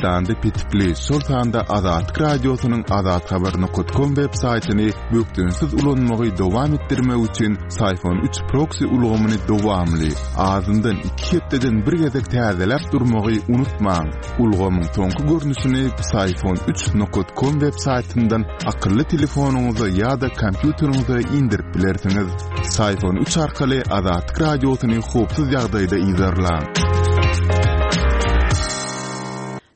Türkmenistanda petikli, şol sanda Azatlyk Radiosynyň azathabar nokat kom web saýtyny bökdençsiz ulanmagy dowam etdirmek üçin Syfon üç proksi ulgamyny dowamly, azyndan iki hepdeden bir gezek täzeläp durmagy unutmaň. Ulgamyň soňky görnüşini Psiphon üç nokat kom web saýtyndan akylly telefonyňyza ýa-da kompýuteriňize indirip bilersiňiz. Psiphon üç arkaly Azatlyk Radiosyny howpsuz ýagdaýda yzarlaň.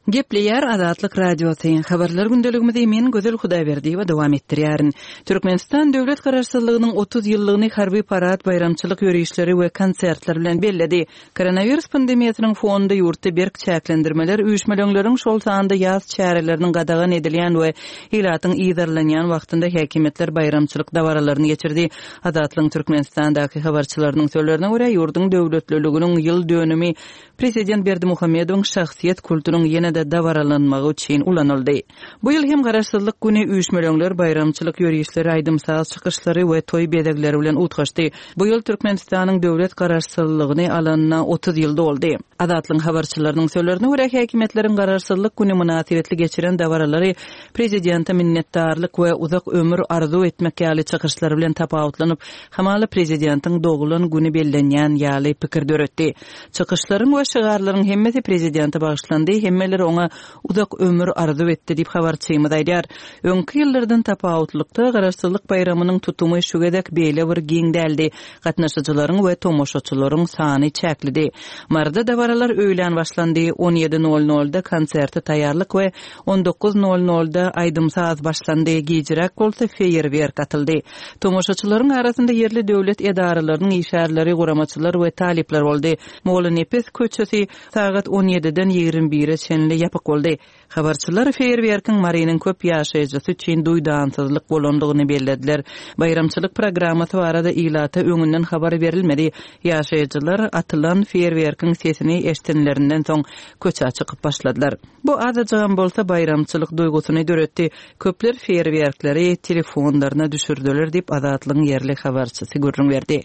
Gepleýär Azatlyk Radiosy. Habarlar gündeligimizi men Gözel Hudaýberdiýewa dowam etdirýärin. Türkmenistan döwlet Garaşsyzlygynyň 30 ýyllygyny harby parad, baýramçylyk ýörişleri we konsertler bilen belledi. Koronawirus pandemiýasynyň fonunda ýurtda berk çäklendirmeler, üýşmeleňleriň, şol sanda ýas çäreleriniň gadagan edilýän we ilatyň yzarlanýan wagtynda häkimiýetler baýramçylyk dabaralaryny geçirdi. Azatlygyň Türkmenistandaky habarçylarynyň sözlerine görä, ýurduň döwletliliginiň ýyl dönümi prezident Berdimuhamedowyň şahsyýet kultunyň ýene-de dabaralanmagy üçin ulanyldy. Bu ýyl hem Garaşsyzlyk güni üýşmeleňler, baýramçylyk ýörişleri, aýdym-saz çykyşlary we toý bezegleri bilen utgaşdy. Bu ýyl Türkmenistanyň döwlet Garaşsyzlygyny alanyna 30 ýyl doldy. Azatlygyň habarçylarynyň sözlerine görä, häkimiýetleriň Garaşsyzlyk güni mynasybetli geçiren dabaralary prezidente minnetdarlyk we uzak ömür arzuw etmek ýaly çykyşlar bilen tapawutlanyp, hamala prezidentiň doglan güni bellenýän ýaly pikir döretdi. Çykyşlaryň we şygarlaryň hemmesi prezidente bagyşlandy, hemmeler oňa uzak ömür arzuw etdi diýip, habarçymyz aýdýar. Öňki ýyllardan tapawutlykda, Garaşsyzlyk baýramynyň tutumy şu gezek beýle bir giň däldi. Gatnaşyjylaryň we tomaşaçylaryň sany çäklidi. Maryda dabaralar öýlän başlandy, on ýedi nol nolda konserte taýýarlyk we on dokuz nol nolda aýdym-saz başlandy, gijiräk bolsa feýerwerk atyldy. Tomaşaçylaryň arasynda ýerli döwlet edaralarynyň işgärleri, guramaçylar we talyplar boldy. Mollanepes köçesi Sagat on ýediden 21-e çenli ýapyk boldy. Habarçylar feýerwerkiň Marynyň köp ýaşaýjysy üçin duýdansyzlyk bolandygyny bellediler. Baýramçylyk programmasy barada ilata öňünden habar berilmedi. Ýaşaýjylar atylan feýerwerkiň sesini eşdenlerinden soň köçä çykyp başladylar. Bu azajygam bolsa baýramçylyk duýgusyny döretdi. Köpler feýerwerkleri telefonlaryna düşürdiler diýip, Azatlygyň ýerli habarçysy gürrüň berdi.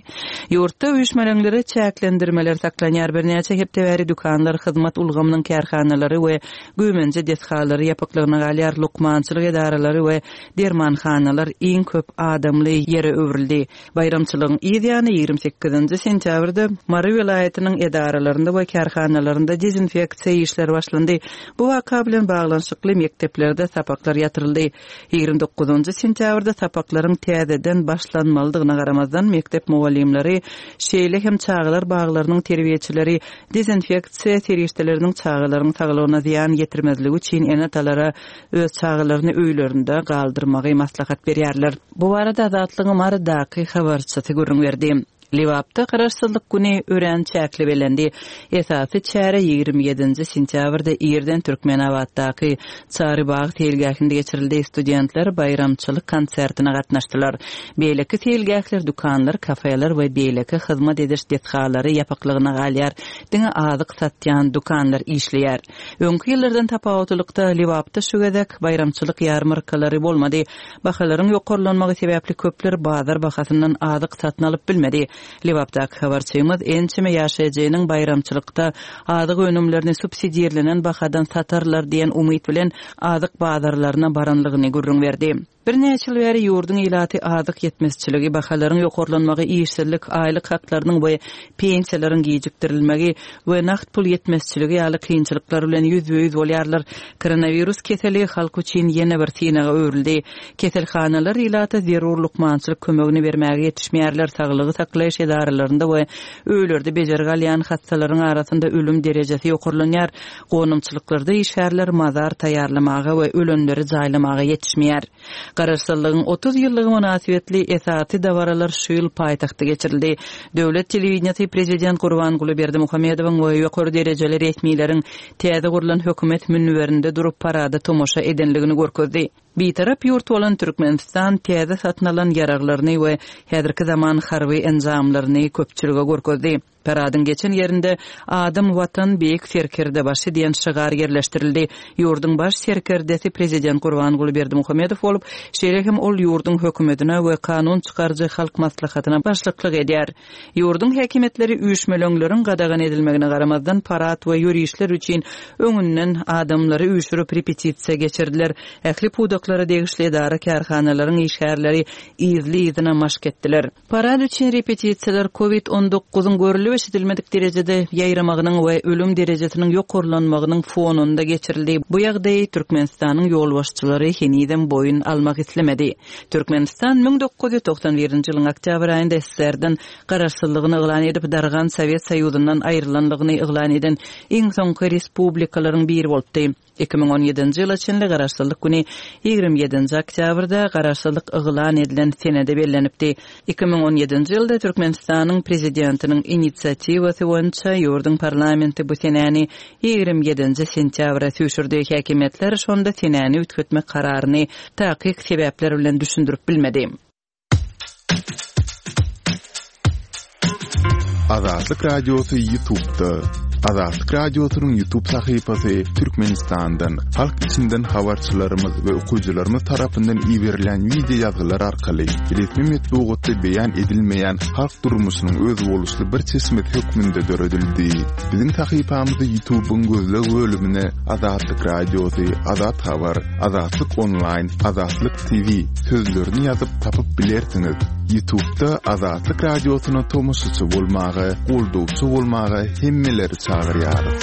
Ýurtda üýşmeleňlere çäklendirmeler saklanýar. Birnäçe hepde bäri dükanlar, hyzmat ulgamynyň kärhanalary we güýmenje desgalary ýapyklygyna galýar, lukmançylyk edaralary we dermanhanalar iň köp adamly ýere öwrüldi. Baýramçylygyň yz ýany, 28-nji sentýabrda Mary welaýatynyň edaralarynda we kärhanalarynda dezinfeksiýa işleri başlandy. Bu waka bilen baglanyşykly mekdeplerde sapaklar ýatyryldy. 29-njy sentýabrda sapaklaryň täzeden başlanmalydygyna garamazdan, mekdep mugallymlary, şeýle hem çagalar baglarynyň terbiýeçileri dezinfeksiýa serişdeleriniň çagalaryň saglygyna zyýan ýetirmezligi üçin ene-atalara öz çagalaryny öýlerinde galdyrmagy maslahat berýärler. Bu barada Azatlygyň Marydaky habarçysy gürrüň berdi. Lebapda Garaşsyzlyk güni örän çäkli bellendi. Esasy çäre 27-nji sentýabrda irden Türkmenabatdaky Çary bag seýilgähinde geçirildi. Studentler baýramçylyk konsertine gatnaşdylar. Beýleki seýilgähler, dükanlar, kafeler we beýleki hyzmat ediş desgalary ýapyklygyna galýar. Diňe azyk satýan dükanlar işleýär. Öňki ýyllardan tapawutlylykda, Lebapda şu gezek baýramçylyk ýarmarkalary bolmady. Bahalaryň ýokarlanmagy sebäpli köpler bazar bahasyndan azyk satyn alyp bilmedi. Lebapdaky habarçymyz ençeme ýaşaýjynyň baýramçylykda azyk önümlerini subsidirlenen bahadan satarlar diýen umyt bilen azyk bazarlaryna baranlygyny gürrüň berdi. Birnäçe ýyl bäri ýurduň ilaty azyk ýetmezçiligi, bahalaryň ýokarlanmagy, işsizlik, aýlyk haklarynyň we pensiýalaryň gijikdirilmegi we nagt pul ýetmezçiligi ýaly kynçylyklar bilen ýüzbe-ýüz bolýarlar. Koronawirus keseli halk üçin ýene bir synaga öwrüldi. Keselhanalar ilata zerur lukmançylyk kömegini bermäge ýetişmeýärler, saglygy saklaýyş edaralarynda we öýlerde bejergi alýan hassalaryň arasynda ölüm derejesi ýokarlanýar, gonamçylyklarda işgärler mazar taýýarlamaga we ölenleri jaýlamaga ýetişmeýär. Garaşsyzlygyň 30 ýyllygy mynasybetli esasy dabaralar şu ýyl paýtagtda geçirildi. Döwlet telewideniýesi prezident Gurbanguly Berdimuhamedowyň we ýokary derejeli resmileriň täze gurlan hökümet münberinde durup parada tomaşa edenligini görkezdi. Bitarap ýurt bolan Türkmenistan täze satyn alan ýaraglaryny we häzirki zaman harby enjamlaryny köpçülige görkezdi. Paradyň geçen ýerinde Adam Watan Beýik Serkerdebaşy diýen şygar ýerleşdirildi. Ýurduň baş serkerdesi prezident Gurbanguly Berdimuhamedow bolup, şeýle hem ol ýurduň hökümetine we kanun çykaryjy Halk Maslahatyna başlyklyk edýär. Ýurduň häkimiýetleri üýşmeleňleriň gadagan edilmegine garamazdan parad we ýörişler üçin öňünden adamlary üýşürip repetisiýa geçirdiler. Ähli pudaklara degişli edara-kärhanalaryň işgärleri yzly-yzyna maşk etdiler. Parad üçin repetisiýalar Covid on dokuzyň görlüp-eşidilmedik derejede ýaýramagynyň we ölüm derejesiniň ýokarlanmagynyň fonunda geçirildi. Bu ýagdaýy Türkmenistanyň ýolbaşçylary henizem boýun almak islemedi. Türkmenistan 1991-nji ýylyň oktýabr aýynda SSR-den garaşsyzlygyny yglan edip, dargan Sowet Soýuzyndan aýrylanlygyny yglan eden iň soňky respublikalaryň biri bolupdy. 2017-nji ýyla çenli Garaşsyzlyk güni 27-nji oktýabrda Garaşsyzlyk yglan edilen senede bellenipdi. 2017-nji ýylda Türkmenistanyň Prezidentiniň inisiatiwasy boýunça ýurduň parlamenti bu senäni 27-nji sentýabra süýşürdi. Häkimiýetler şonda senäni üýtgetmek kararyny takyk sebäpler bilen düşündirip bilmedi. Azatlyk Radiosy YouTube'da. Azatlyk Radiosynyň YouTube sahypasy Türkmenistandan, halk içinden habarçylarymyz we okyjylarymyz tarapyndan iberilen wideo ýazgylar arkaly resmi metbugatda beýan edilmeýän halk durmuşynyň özboluşly bir çeşmesi hökmünde döredildi. Biziň sahypamyzy YouTube'yň gözleg bölümine Azatlyk Radiosy, Azat Habar, Azatlyk Onlaýn, Azatlyk TV sözlerini ýazyp tapyp bilersiňiz. Ýutubda Azatlyk Radiosyna tomaşaçy bolmaga, goldawçy bolmaga hemmeleri çagyrýarys.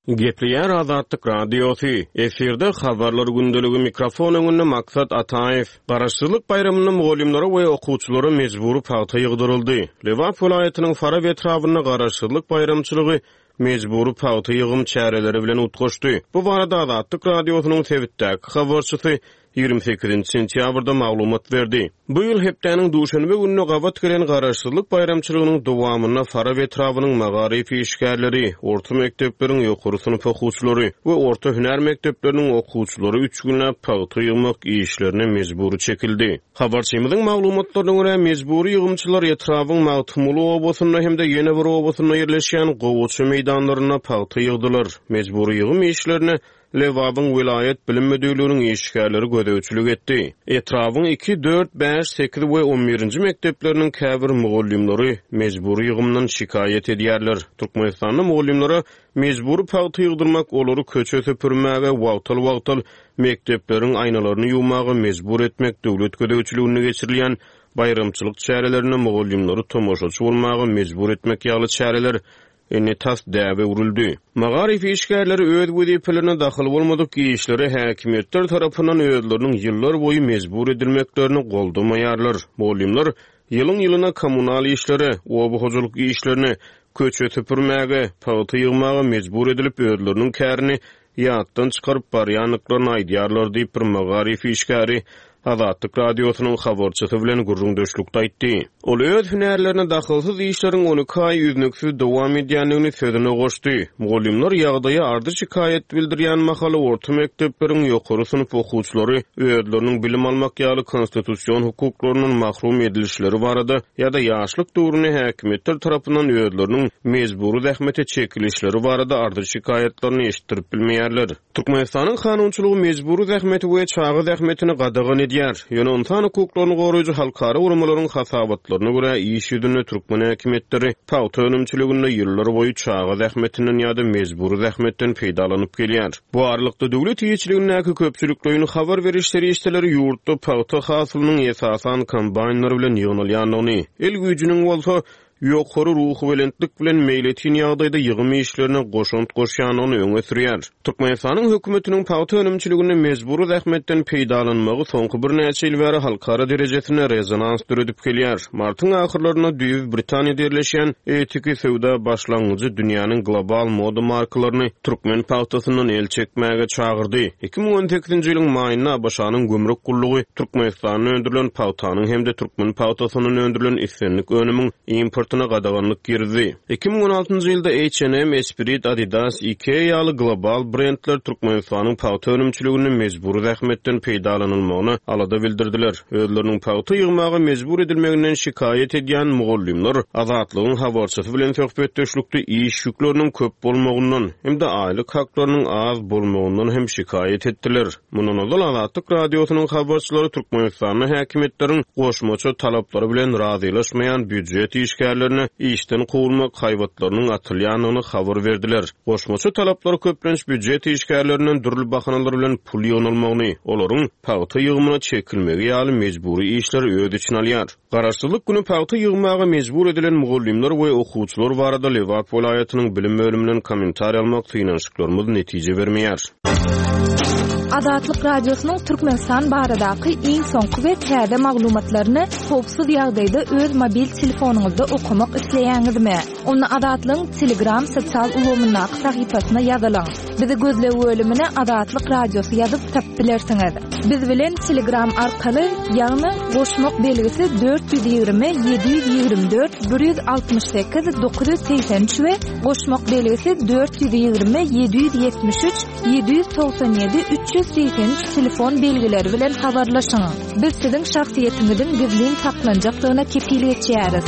Gepleýär Azatlyk Radiosy, efirde Habarlar gündeligi mikrofon öňünde Maksat Ataýew. Garaşsyzlyk baýramynda mugallymlara we okuwçylara mejbury pagta ýygdyryldy. Lebap welaýatynyň Farap etrabynda Garaşsyzlyk baýramçylygy mejbury pagta ýygym çäreleri bilen utgaşdy. Bu barada Azatlyk Radiosynyň sebitdäki habarçysy 28-nji sentýabrda maglumat berdi. Bu ýyl hepdäniň duşenbe gününe gabat gelen Garaşsyzlyk baýramçylygynyň dowamynda Farap etrabynyň magaryf işgärleri, orta mekdepleriň ýokary synp okuwçylary we orta hünär mekdepleriniň okuwçylary üç günläp pagta ýygmak işlerine mejbury çekildi. Habarçymyzyň maglumatlaryna görä, mejbury ýygymçylar etrabyň Magtymguly obasynda hem-de ýene bir obasynda ýerleşýän gowaça meýdanlarynda pagta ýygdylar. Mejbury ýygym işlerine Lebabyň welaýat bilim müdirliginiň işgärleri gözegçilik etdi. Etrabyň iki, dört, bäş, sekiz we on birinji mekdepleriniň käbir mugallymlary mejbury ýygymdan şikaýat edýärler. Türkmenistanda mugallymlara mejbury pagta ýygdyrmak, olary köçe süpürmäge, wagtal-wagtal mekdepleriň aýnalaryny ýuwmaga mejbur etmek, döwlet gözegçiliginde geçirilýän baýramçylyk çärelerinde mugallymlary tomaşaçy bolmaga mejbur etmek ýaly çäreler indi tas däbe öwrüldi. Magaryf işgärleri öz wezipelerine dahyl bolmadyk işlere häkimiýetler tarapyndan özleriniň ýyllar boýy mejbur edilmeklerini goldamaýarlar. Mugallymlar ýylyň-ýylyna kommunal işlere, oba hojalyk işlerine, köçe süpürmäge, pagta ýygmaga mejbur edilip özleriniň kärini ýatdan çykaryp barýandyklaryny aýdýarlar diýip, bir magaryf işgäri Azatlyk Radiosynyň habarçysy bilen gürrüňdeşlikde aýtdy. Ol öz hünärlerine dahylsyz işleriň 12 aý üznüksiz dowam edýändigini sözüne goşdy. Mugallymlar ýagdaýa ardy-şikaýat bildirýän mahaly orta mekdepleriň ýokary synp okuwçylary özleriniň bilim almak ýaly konstitusion hukuklaryndan mahrum edilişleri barada ýa-da ýaşlyk döwründe häkimiýetler tarapyndan özleriniň mejbury zähmete çekilişleri barada arz-şikaýatlaryny eşitdirip bilmeýärler. Türkmenistanyň kanunçylygy mejbury zähmeti we çaga zähmetini gadagan edýär. Ýöne ynsan hukuklaryny goraýjy halkara guramalaryň hasabatlaryna görä, iş ýüzünde türkmen häkimiýetleri pagta önümçiliginde ýyllarboýy çaga zähmetinden ýa-da mejbury zähmetden peýdalanyp gelýär. Bu aralykda, döwlet eýeçiligindäki köpçülikleýin habar beriş serişdeleri ýurtda pagta hasylynyň esasan kombaýnlar bilen ýygnalýandygyny, el güýjüniň bolsa ýokary ruhubelentlik bilen meýletin ýagdaýda ýygym işlerine goşant goşýandygyny öňe sürýär. Türkmenistanyň hökümetiniň pagta önümçiliginde mejbury zähmetden peýdalanmagy soňky birnäçe ýyl bäri halkara derejesinde rezonans döredip gelýär. Martyň ahyrlarynda düýbi Britaniýada ýerleşýän Etiki söwda başlangyjy dünýäniň global moda markalaryny türkmen pagtasyndan el çekmäge çagyrdy. 2018-nji ýylyň maýynda ABŞ-nyň gümrük gullugy Türkmenistanda öndürilen pagtanyň hem-de türkmen pagtasyndan öndürilen islendik önümiň import. eksportyna gadaganlyk girizdi. 2016-njy ýylda H&M, Esprit, Adidas, Ikea ýaly global brendler Türkmenistanyň pagta önümçiliginde mejbury zähmetden peýdalanylmagyna alada bildirdiler. Özleriniň pagta ýygmaga mejbur edilmeginden şikaýat edýän mugallymlar Azatlygyň habarçysy bilen söhbetdeşlikde iş ýükleriniň köp bolmagyndan hem-de aýlyk haklarynyň az bolmagyndan hem şikaýat etdiler. Mundan ozal Azatlyk Radiosynyň habarçylary Türkmenistanda häkimiýetleriň goşmaça talaplary bilen razylaşmaýan býujet işgärlerine işden kowulmak haýbatlarynyň atylýandygyny habar berdiler. Goşmaça talaplar köplenç býujet işgärlerinden dürli bahanalar bilen pul ýygnalmagyny, olaryň pagta ýygymyna çekilmegi ýaly mejbury işleri öz içine alýar. Garaşsyzlyk güni pagta ýygmaga mejbur edilen mugallymlar we okuwçylar barada Lebap welaýatynyň bilim bölüminden kommentariý almak synanyşyklarymyz netije bermeýär. Azatlyk Radiosynyň Türkmenistan baradaky iň soňky we täze maglumatlaryny howpsuz ýagdaýda öz mobil telefonyňyzda okamak isleýäňizmi? Onda Azatlygyň Telegram sosial ulgamyndaky sahypasyna ýazylyň. Bizi gözleg bölümine Azatlyk Radiosy ýazyp tapyp bilersiňiz. Biz bilen Telegram arkaly, ýagny goşmak belgisi 420 724 168 983 we goşmak belgisi 420 773 797 383 telefon belgileri bilen habarlaşyň. Biz siziň şahsyýetiňiziň gizlin saklanjakdygyna kepil geçýäris.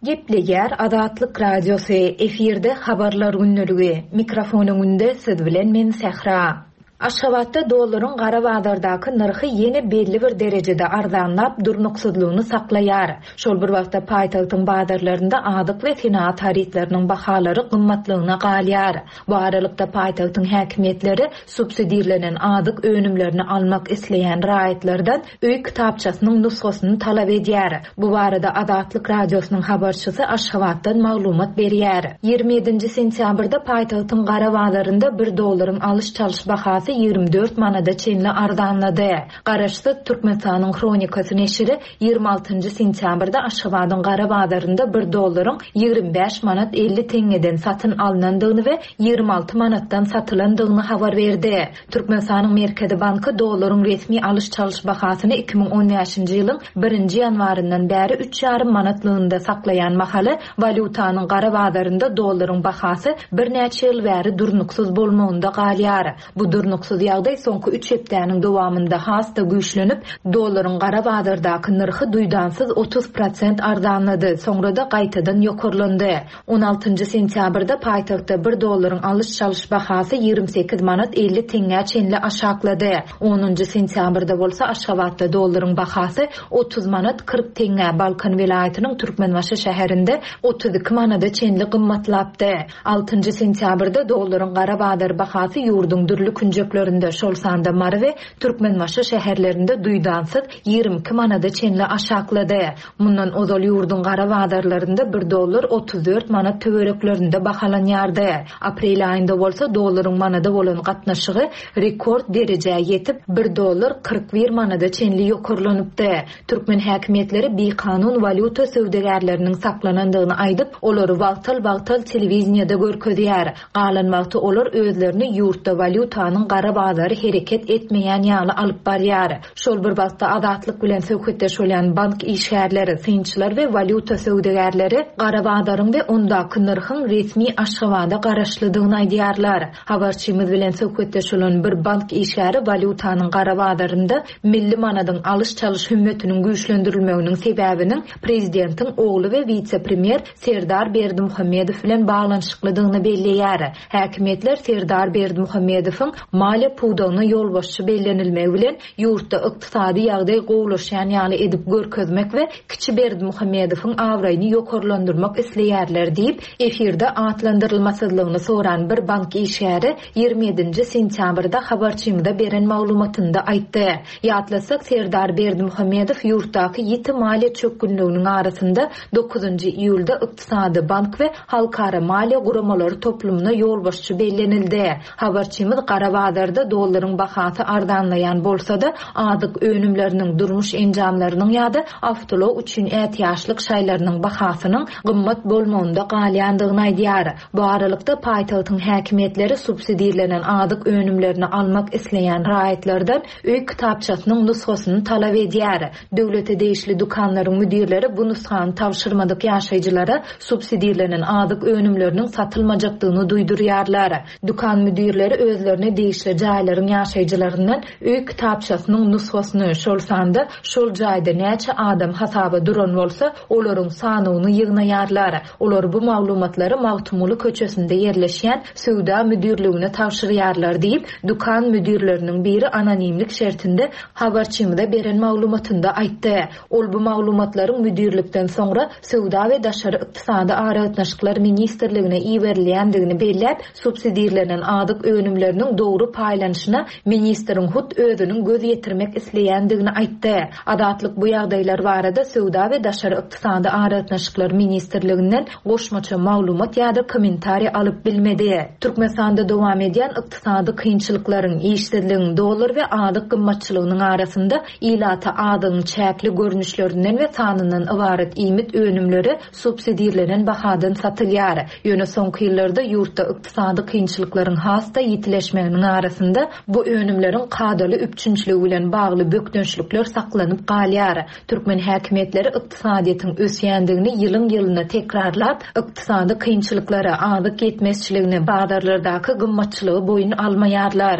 Gepleýär Azatlyk Radiosy, efirde Habarlar gündeligi, mikrofon öňünde siz bilen men Sähra. Aşgabatda dollaryň gara bazardaky nyrhy ýene belli bir derejede arzanlap, durnuksyzlygyny saklaýar. Şol bir wagtda paýtagtyň bazarlarynda azyk we senagat harytlarynyň bahalary gymmatlygyna galýar. Bu aralykda paýtagtyň häkimiýetleri subsidirlenen azyk önümlerini almak isleýän raýatlardan öý kitapçasynyň nusgasyny talap edýär. Bu barada Azatlyk Radiosynyň habarçysy Aşgabatdan maglumat berýär. 27-nji sentýabrda paýtagtyň gara bazarynda bir dollaryň alyş-çalyş bahasy 24 manada çenli arzanlady. Garaşsyz Türkmenistanyň Hronikasy neşiri 26-njy sentýabrda Aşgabadyň gara bazarynda bir dollaryň 25 manat 50 teňňeden satyn alnandygyny we 26 manatdan satylandygyny habar berdi. Türkmenistanyň Merkezi banky dollaryň resmi alyş-çalyş bahasyny 2015-nji ýylyň birinji ýanwaryndan bäri üç ýarym manatlygynda saklaýan mahaly, walýutanyň gara bazarynda dollaryň bahasy birnäçe ýyl bäri durnuksyz bolmagynda galýar. Bu durnuksyz ýagdaý soňky üç hepdäniň dowamynda has-da güýçlenip, dollaryň gara bazardaky nyrhy duýdansyz 30 prosent arzanlady, soňra-da gaýtadan ýokarlandy. On altynjy sentýabrda paýtagtda bir dollaryň alyş-çalyş bahasy 28 manat 50 teňňä çenli aşaklady. Onunjy sentýabrda bolsa Aşgabatda dollaryň bahasy 30 manat 40 teňňä, Balkan welaýatynyň Türkmenbaşy şäherinde 32 manada çenli gymmatlapdy. Altynjy sentýabrda dollaryň gara bazar bahasy ýurduň dürli künjeklerinde, şol sanda Mary we Türkmenbaşy şäherlerinde duýdansyz 22 manada çenli aşaklady. Mundan ozal ýurduň gara bazarlarynda bir dollar 34 manat töwereklerinde bahalanýardy. Aprel aýynda bolsa dollaryň manada bolan gatnaşygy rekord derejä ýetip, bir dollar 41 manada çenli ýokarlanypdy. Türkmen häkimiýetleri bikanun walýuta söwdagärleriniň saklanandygyny aýdyp, olary wagtal-wagtal telewideniýede görkezýär. Galan wagty olar özlerini ýurtda walýutanyň gara bazary hereket etmeýän ýaly alyp barýar. Şol bir wagtda, Azatlyk bilen söhbetdeş bolýan bank işgärleri, synçylar we walýuta söwdagärleri gara bazaryň we ondaky nyrhyň resmi Aşgabada garaşlydygyny aýdýarlar. Habarçymyz bilen söhbetdeş bolan bir bank işgäri walýutanyň gara bazarynda milli manadyň alyş-çalyş hümmetiniň güýçlendirilmeginiň sebäbiniň prezidentiň ogly we wise-premýer Serdar Berdimuhamedow bilen baglanyşyklydygyny belleýär. Häkimiýetler Serdar Berdimuhamedowyň maliýe pudagyna ýolbaşçy bellenilmegi bilen ýurtda ykdysady ýagdaý gowulaşýan ýaly edip görkezmek we kiçi Berdimuhamedowyň abraýyny ýokarlandyrmak isleýärler diýip, efirde atlandyrylmasyzlygyny soran bir bank işgäri 27-nji sentýabrda habarçymyza beren maglumatynda aýtdy. Ýatlasak, Serdar Berdimuhamedow ýurtdaky ýiti maliýe çökgünliginiň arasynda dokuzynjy iýulda Ykdysady, bank we halkara maliýe guramalary toplumyna ýolbaşçy bellenildi. Habarçymyz gara bazar. bazarda dollaryň bahasy arzanlaýan bolsa-da, azyk önümleriniň, durmuş enjamlarynyň ýa-da awtoulag üçin ätiýaçlyk şaýlarynyň bahasynyň gymmat bolmagynda galýandygyny aýdýar. Bu aralykda, paýtagtyň häkimiýetleri subsidirlenen azyk önümlerini almak isleýän raýatlardan öý kitapçasynyň nusgasyny talap edýär. Döwlete degişli dükanlaryň müdirleri bu nusgany tabşyrmadyk ýaşaýjylara subsidirlenen azyk önümleriniň satylmajakdygyny duýdurýarlar. Dükan müdirleri özlerine degişli jaýlaryň ýaşaýjylaryndan öý kitapçasynyň nusgasyny, şol sanda şol jaýda näçe adam hasaba duran bolsa, olaryň sanawyny ýygnaýarlar. Olar bu maglumatlary Magtymguly köçesinde ýerleşýän Söwda müdirligine tabşyrýarlar diýip, dükan müdirleriniň biri anonimlik şertinde habarçymyza beren maglumatynda aýtdy. Ol bu maglumatlaryň müdirlikden soňra Söwda we daşary ykdysady aragatnaşyklar ministrligine iberilýändigini belläp, subsidirlenen azyk önümleriniň dogry paýlanyşyna ministriň hut özüniň göz ýetirmek isleýändigini aýtdy. Azatlyk bu ýagdaýlar barada Söwda we daşary ykdysady aragatnaşyklar ministrliginden goşmaça maglumat ýa-da kommentariý alyp bilmedi. Türkmenistanda dowam edýän ykdysady kynçylyklaryň, işsizligiň, dollar we azyk gymmatçylygynyň arasynda ilata azygyň çäkli görnüşlerinden we sanyndan ybarat iýmit önümleri subsidirlenen bahadan satylýar. Ýöne soňky ýyllarda ýurtda ykdysady kynçylyklaryň has-da ýitileşmeginiň arasynda bu önümleriň kadaly üpjünçiligi bilen bagly bökdençlikler saklanyp galýar. Türkmen häkimiýetleri ykdysadyýetiň ösýändigini ýylyň-ýylyna tekrarlap, ykdysady kynçylyklary, azyk ýetmezçiligini, bazarlardaky gymmatçylygy boýun almaýarlar.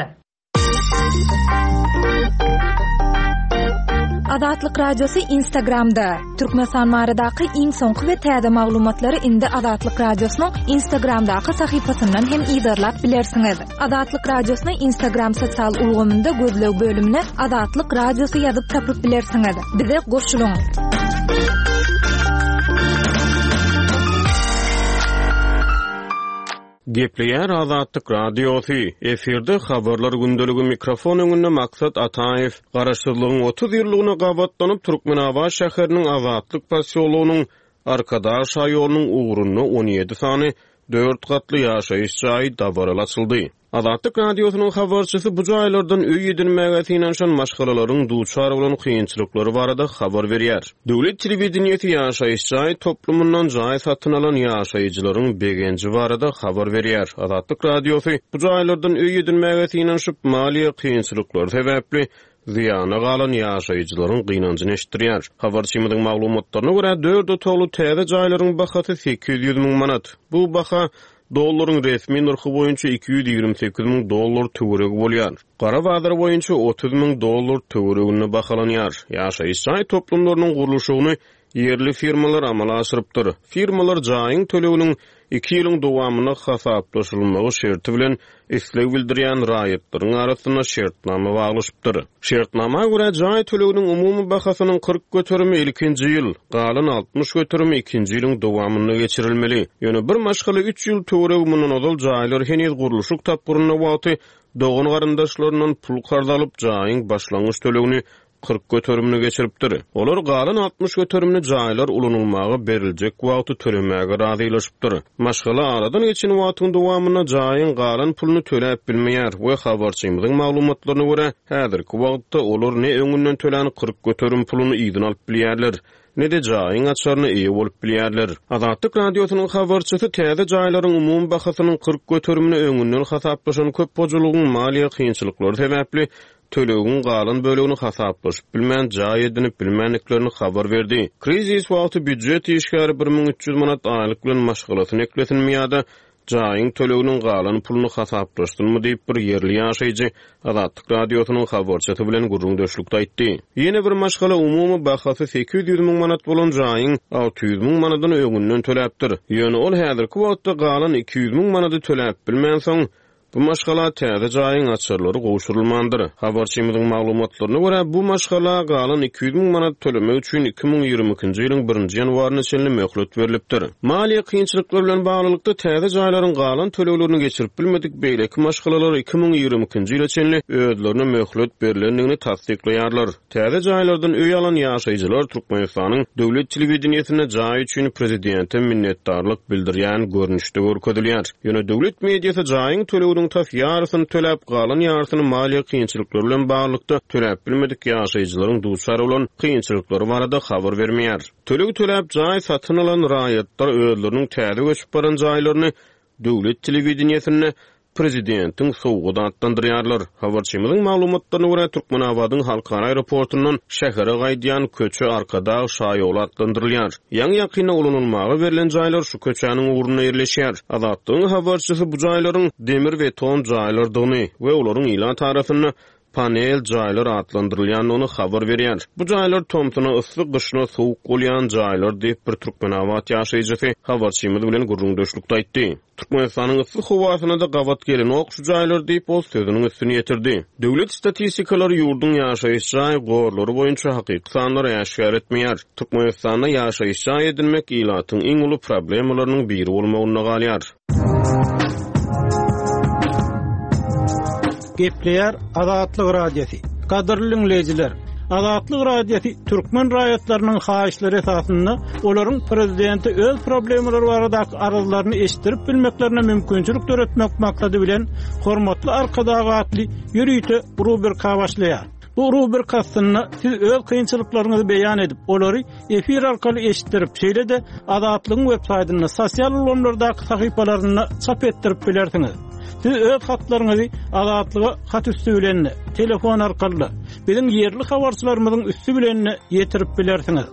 Azatlyk Radiosy Instagramda, Türkmenistan baradaky iň soňky we täze maglumatlary indi Azatlyk Radiosynyň Instagramdaky sahypasyndan hem yzarlap bilersiňiz. Azatlyk Radiosyny Instagram sosial ulgamynda gözleg bölümine Azatlyk Radiosy ýazyp tapyp bilersiňiz. Bize goşulyň! Gepleýär Azatlyk Radiosy, efirde Habarlar gündeligi mikrofon öňünde Maksat Ataýew. Garaşsyzlygyň 30 ýyllygyna gabatlanyp Türkmenabat şäheriniň Azatlyk posýologynyň Arkadag şaýolunyň ugrunda 17 sany dört gatly ýaşaýyş jaýy dabaraly açyldy. Azatlyk Radiosynyň habarçysy bu jaýlardan öý edinmäge synanyşan maşgalalaryň duçar bolan kynçylyklary barada habar berýär. Döwlet telewideniýesi ýaşaýyş jaý toplumyndan jaý satyn alan ýaşaýjylaryň begenji barada habar berýär. Azatlyk Radiosy bu jaýlardan öý edinmäge synanyşyp, maliýe kynçylyklary sebäpli zyýana galan ýaşaýjylaryň gynanjyny eşitdirýär. Habarçymyzyň maglumatlaryna görä, dört otagly täze jaýlaryň bahasy 800 müň manat. Bu baha dollaryň resmi nyrhy boýunça 228 müň dollar töweregi bolýar. Gara bazar boýunça 30 müň dollar töwereginde bahalanýar. Ýaşaýyş jaý toplumlarynyň gurluşygyny Ýerli firmalar amala aşyrypdyr. Firmalar jaýyň töleginiň iki ýylyň dowamynda hasaplaşylmagy şerti bilen isleg bildirýän raýatlaryň arasynda şertnama baglaşypdyr. Şertnama görä, jaý töleginiň umumy bahasynyň 40 göterimi ilkinji ýyl, galan 60 göterimi ikinji ýylyň dowamynda geçirilmeli. Ýöne bir maşgala üç ýyl töweregi mundan ozal jaýlar heniz gurluşyk tapgyrynda wagty dogan-garyndaşlaryndan pul karz alyp, jaýyň başlangyç tölegini 40 göterimini geçiripdir. Olar galan 60 göterimini jaýlar ulanylmaga beriljek wagty tölemäge razylaşypdyr. Maşgala aradan geçen wagtyň dowamynda jaýyň galan puluny töläp bilmeýär we habarçymyzyň maglumatlaryna görä, häzirki wagtda olar ne öňünden tölän 40 göterim puluny yzyna alyp bilýärler, ne-de jaýyň açaryna eýe bolup bilýärler. Azatlyk Radiosynyň habarçysy täze jaýlaryň umumy bahasynyň 40 göterimini öňünden hasaplaşan köp hojalygyň maliýe kynçylyklary sebäpli tölegiň galan bölegini hasaplaşyp bilmän, jaý edinip bilmändiklerini habar berdi. Krizis wagty býujet işgäri 1300 manat aýlyk bilen maşgalasyny eklesinmi ýa-da jaýyň töleginiň galan puluny hasaplaşsynmy diýip, bir ýerli ýaşaýjy Azatlyk Radiosynyň habarçysy bilen gürrüňdeşlikde aýtdy. Ýene bir maşgala umumy bahasy 800 müň manat bolan jaýyň 600 müň manadyny öňünden töläpdir. Ýöne ol häzirki wagtda galan 200 müň manady töläp bilmänsoň, Bu maşgala täze jaýyň açarlary gowşurylmandyr. Habarçymyzyň maglumatlaryna görä, bu maşgala galan 200 müň manat tölemek üçin 2022-nji ýylyň birinji ýanwaryna çenli möhlet berlipdir. Maliýe kynçylyklary bilen baglylykda, täze jaýlaryň galan töleglerini geçirip bilmedik beýleki maşgalalar 2022-nji ýyla çenli özlerine möhlet berlendigini tassyklaýarlar. Täze jaýlardan öý alan ýaşaýjylar Türkmenistanyň döwlet telewideniýesinde jaý üçin prezidente minnetdarlyk bildirýän görnüşde görkezilýär. Ýöne döwlet mediasy jaýyň töleginiň. töleginiň tas ýarysyny töläp, galan ýarysyny maliýe kynçylyklary bilen baglylykda töläp bilmedik ýaşaýjylaryň duçar bolan kynçylyklary barada habar bermeýär. Töleg töläp jaý satyn alan raýatlar özleriniň täze göçüp baran jaýlaryny döwlet telewideniýesinde prezidentiň sowgady atlandyrýarlar. Habarçymyzyň maglumatlaryna görä, Türkmenabadyň halkara aeroportundan şähere gaýdýan köçe Arkadag şaýoly atlandyrylýar. Ýaňy-ýakynda ulanylmaga berlen jaýlar şu köçäniň ugrunda ýerleşýär. Azatlygyň habarçysy bu jaýlaryň demir-beton jaýlardygyny we olaryň ilat arasynda panel jaýlar atlandyrylýandygyny habar berýär. Bu jaýlar tomsuna yssy, gyşyna sowuk bolýan jaýlar diýip, bir türkmenabat ýaşaýjysy habarçymyz bilen gürrüňdeşlikde aýtdy. Türkmenistanyň yssy howasyna-da gabat gelenok şu jaýlar diýip, ol sözüniň üstüni ýetirdi. Döwlet statistikalary ýurduň ýaşaýyş jaý gorlary boýunça hakyky sanlary äşgär etmeýär. Türkmenistanda ýaşaýyş jaý edinmek ilatyň iň uly problemalarynyň biri bolmagynda galýar. Gepleýär Azatlyk Radiosy. Gadyrly diňleýjiler, Azatlyk Radiosy türkmen raýatlarynyň haýyşlary esasynda olaryň prezidente öz problemalary baradaky arzlaryny eşitdirip bilmeklerine mümkinçilik döretmek maksady bilen Hormatly Arkadag atly ýörite rubrika başlaýar. Bu rubrika astynda siz öz kynçylyklaryňyzy beýan edip, olary efir arkaly eşitdirip, şeýle-de Azatlygyň web saýtynda, sosial ulgamlardaky sahypalarynda çap etdirip bilersiňiz. Siz öz hatlaryňyzy Azatlyga hat üsti bilen-de, telefon arkaly-da, biziň ýerli habarçylarymyzyň üsti bilen-de ýetirip bilersiňiz.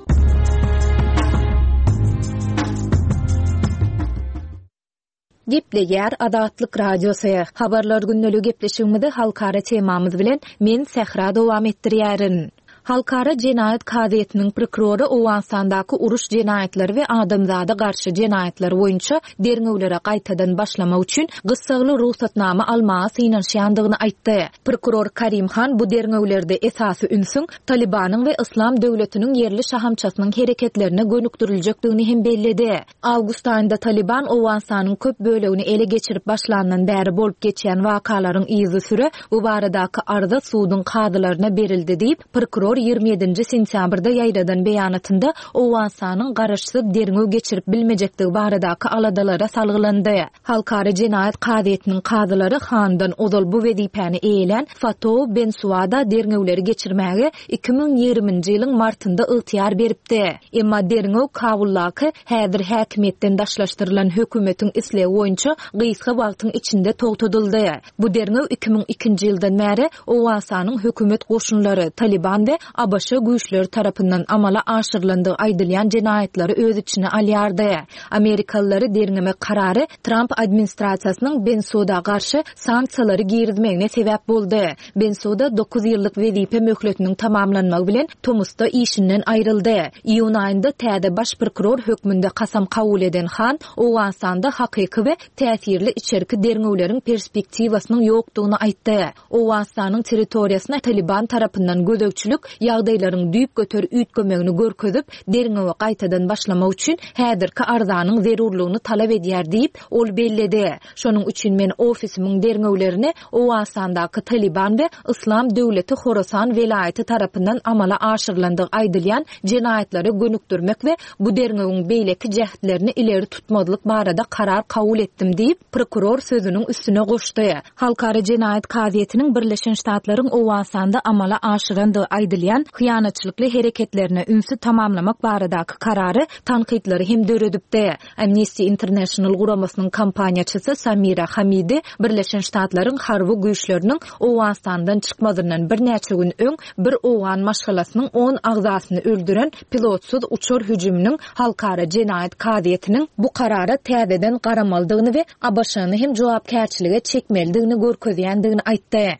Gepleýär Azatlyk Radiosy. Habarlar gündeligi gepleşigimizi halkara temamyz bilen men Sähra dowam etdirýärin. Halkara jenaýat kazyýetiniň prokurory Owganystandaky uruş jenaýatlary we adamzada garşy jenaýatlar boýunça derňewlere gaýtadan başlamak üçin gyssagly rugsatnama almaga synanyşýandygyny aýtdy. Prokuror Karim Han bu derňewlerde esasy ünsüň Talybanyň we Yslam döwletiniň ýerli şahamçasynyň hereketlerine gönükdiriljekdigini hem belledi. Awgust aýynda Talyban Owganystanyň köp bölegini ele geçirip başlandan bäri bolup geçýän wakalaryň yzysüre bu baradaky arza suduň kazylaryna berildi diýip, prokuror 27 nji sentýabrda ýaýradan beýanatynda Owganystanyň garaşsyz derňew geçirip bilmejekdigi baradaky aladalara salgylandy. Halkara jenaýat kazyýetiniň kazylary Handan ozal bu wezipäni eýelän Fatou Bensuada derňewleri geçirmäge 2020-nji ýylyň martynda ygtyýar beripdi. Emma derňew Kabuldaky häzir häkimiýetden daşlaşdyrylan hökümetiň islegi boýunça gysga wagtyň içinde togtadyldy. Bu derňew 2002-nji ýyldan bäri Owganystanyň hökümet goşunlary, Talyban we ABŞ güýçleri tarapyndan amala aşyrylandygy aýdylýan jenaýatlary öz içine alýardy. Amerikalylary derňemek karary Tramp administrasiýasynyň Bensuda garşy sanksiýalary girizmegine sebäp boldy. Bensuda dokuz ýyllyk wezipe möhletiniň tamamlanmagy bilen tomusda işinden aýryldy. Iýun aýynda täze baş prokuror hökmünde kasam kabul eden Han Owganystanda hakyky we täsirli içerki derňewleriň perspektiwasynyň ýokdugyny aýtdy. Owganystanyň territoriýasyna Talyban tarapyndan gözegçilik ýagdaýlaryň düýpgöter üýtgemegini görkezip, derňewe gaýtadan başlamak üçin häzirki arzanyň zerurlygyny talap edýär diýip, ol belledi. Şonuň üçin men ofisimiň derňewlerini Owganystandaky Talyban we Yslam döwleti Horasan welaýaty tarapyndan amala aşyrylandygy aýdylýan jenaýatlara gönükdirmek we bu derňewiň beýleki jähtlerini ileri tutmazlyk barada karar kabul etdim diýip, prokuror sözüniň üstüne goşdy. Halkara jenaýat kazyýetiniň Birleşen Ştatlaryň Owganystanda amala aşyrandygy aýdylýan hyýanatçylykly hereketlerine ünsi tamamlamak baradaky karary tankytlary hem döredipdi. Amnesty International guramasynyň kampaniýaçysy Samira Hamidi Birleşen Ştatlaryň harby güýçleriniň Owganystandan çykmazyndan birnäçe gün öň bir owgan maşgalasynyň on agzasyny öldüren pilotsyz uçar hüjüminiň Halkara jenaýat kazyýetiniň bu karara täzeden garamalydygyny we ABŞ-ny hem jogapkärçilige çekmelidigini görkezýändigini aýtdy.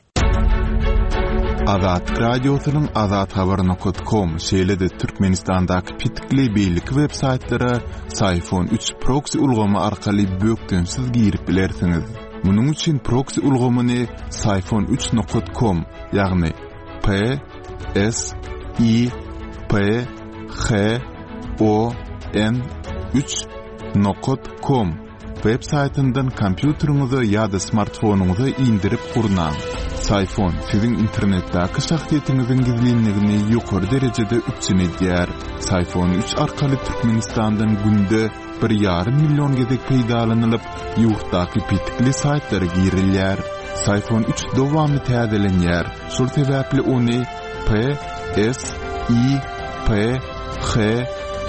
Azatlyk Radiosynyň azathabar.com, şeýle-de Türkmenistandaky petikli beýleki web-saýtlara Syfon 3 proksi ulgamy arkaly bökdençsiz girip bilersiňiz. Munuň üçin proksi ulgamyny syfon 3 com, ýagny P S I P H O N 3 nokat com web saýtyndan kompýuteriňize ýa-da smartfonyňyza indirip gurnaň. Psiphon siziň internetdäki şahsyýetiňiziň gizlinligini ýokary derejede üpjün edýär. Psiphon üç arkaly Türkmenistandan günde bir ýarym million gezek peýdalanylyp, ýurtdaky petikli saýtlara girilýär. Psiphon üç dowamly täzelenýär, şol sebäpli ony P S I P H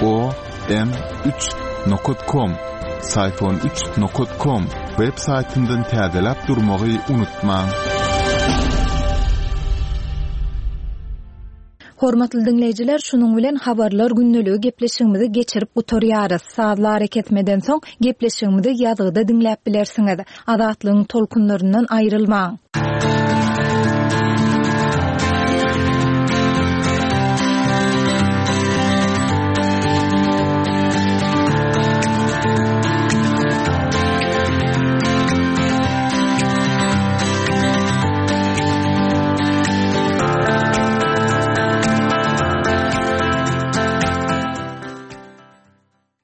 O N üç nokat kom, Psiphon üç nokat kom, web saýtyndan täzeläp durmagy unutmaň. Hormatly diňleýjiler, şunuň bilen Habarlar gündeligi gepleşigimizi geçirip gutarýarys. Sazly arakesmeden soň gepleşigimizi ýazgyda diňläp bilersiňiz. Azatlygyň tolkunlaryndan aýrylmaň!